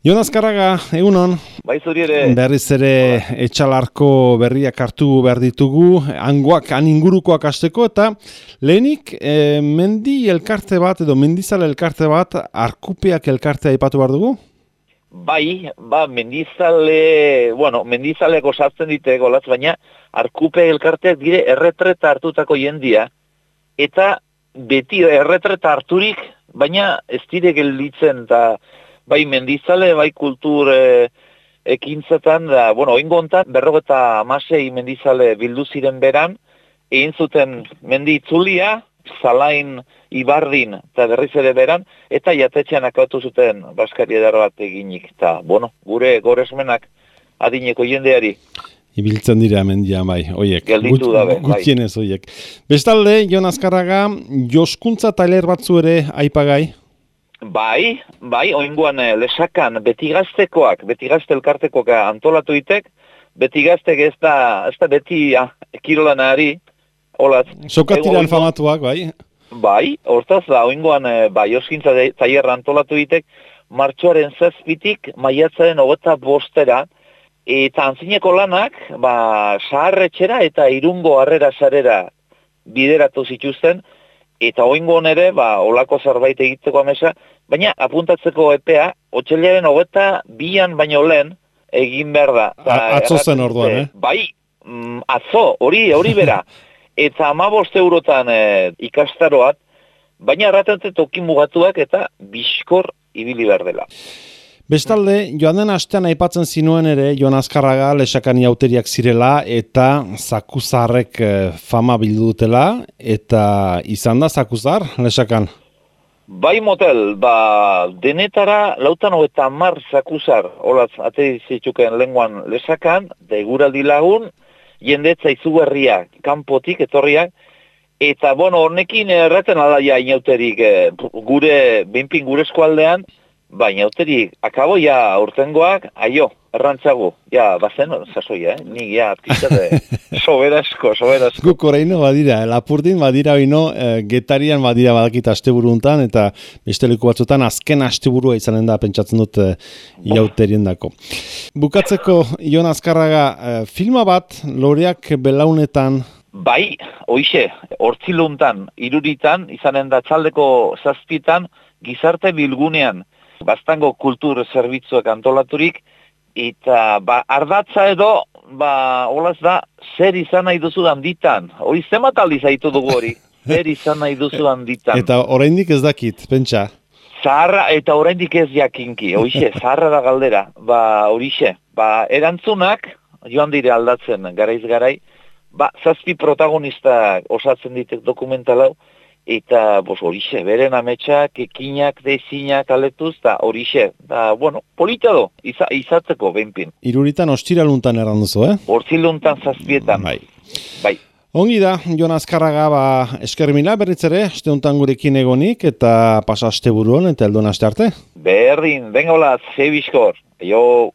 Jon Azkarraga, egunon. Bai zuri ere. Berriz ere etxalarko berriak hartu behar ditugu, hangoak, ingurukoak hasteko, eta lehenik mendi elkarte bat edo mendizale elkarte bat, Arkupeak elkartea aipatu behar dugu? Bai, mendizaleko sartzen dite golatz, baina Arkupe elkarteak dire erretreta hartutako jendia, eta beti erretreta harturik, baina ez dire gelditzen, eta bai mendizale, bai kultur ekintzetan, da, oingo hontan, 56 mendizale bildu ziren beran, egin zuten mendi itzulia, Zalain, Ibardin, eta berriz ere beran, eta jatetxean akautu zuten Baskari edar bat eginik, eta, gure goresmenak adineko jendeari. Ibiltzen dira mendian, bai, oiek. Gelditu dabe, bai. Gutienez, oiek. Bestalde, Jon Azkarraga, joskuntza tailer batzu ere aipagai? Bai, oingoan lesakan beti gazte elkartekoak antolatu itek, beti gaztek ez da beti kirolanari, holat. Sokatiran famatuak, bai? Bai, hortaz da, oingoan joskuntza tailerra antolatu itek, martxoaren 7-tik maiatzaren 25-era, eta antzineko lanak, saharretxera eta Irungo harrera sarera bideratu zituzten, eta oingoan ere, olako zerbait egiteko amesa, baina apuntatzeko epea, otsailaren 22an baino lehen egin behar da. Atzo zen orduan, Bai, atzo, hori bera. Eta 15 eurotan ikastaroat, baina erraten toki mugatuak eta bizkor ibili behar dela. Bestalde, joan den astean aipatzen zinuen ere, Jon Azkarraga lesakani hauteriak zirela eta zakuzarrek fama bildu dutela, eta izan da zakuzar lesakan? Bai motel, denetara 50 zakuzar, holatz, ate zitzuken lenguan lesakan, da eguraldi lagun, jendetza izugarriak, kanpotik, etorriak, eta honekin erraten alaia inauterik behinpin gure eskualdean, inauterik, akabo urtengoak, errantzago, bazen, sasoia, nik pizate, soberasko. Guk oraino badira, Lapurdin badira oino, Getarian badira badakit asteburu hontan, eta beste leku batzutan azken asteburua izanen da, pentsatzen dut iauterien dako. Bukatzeko, Jon Azkarraga, filma bat, loreak belaunetan? Bai, hoixe, hortziluntan, iruritan, izanen da txaldeko 7-tan, gizarte bilgunean, Baztango kultur zerbitzuak antolaturik, eta ardatza edo, holaz da, zer izan nahi duzu handitan. Hori zenbat aldiz haitu dugu hori, zer izan nahi duzu handitan. Eta oraindik ez dakit, pentsa. Zaharra, eta oraindik ez jakinki, horixe, zaharra da galdera. Horixe, erantzunak, joan dire aldatzen, garaiz garai, 7 protagonistak osatzen ditek dokumental hau, eta horixe, beren ametsak, ekinak, dezinak aletuz, eta horixe, polita do, izatzeko behinpin. Iruritan ostiraluntan erranduzu, Hortziluntan 7-etan. Bai. Ongi da, Jon Azkarraga, eskermila berriz ere, asteuntan gurekin egonik, eta pasa asteburuan, eta eldon aste arte. Berdin, benga olaz, zebizkor, jo.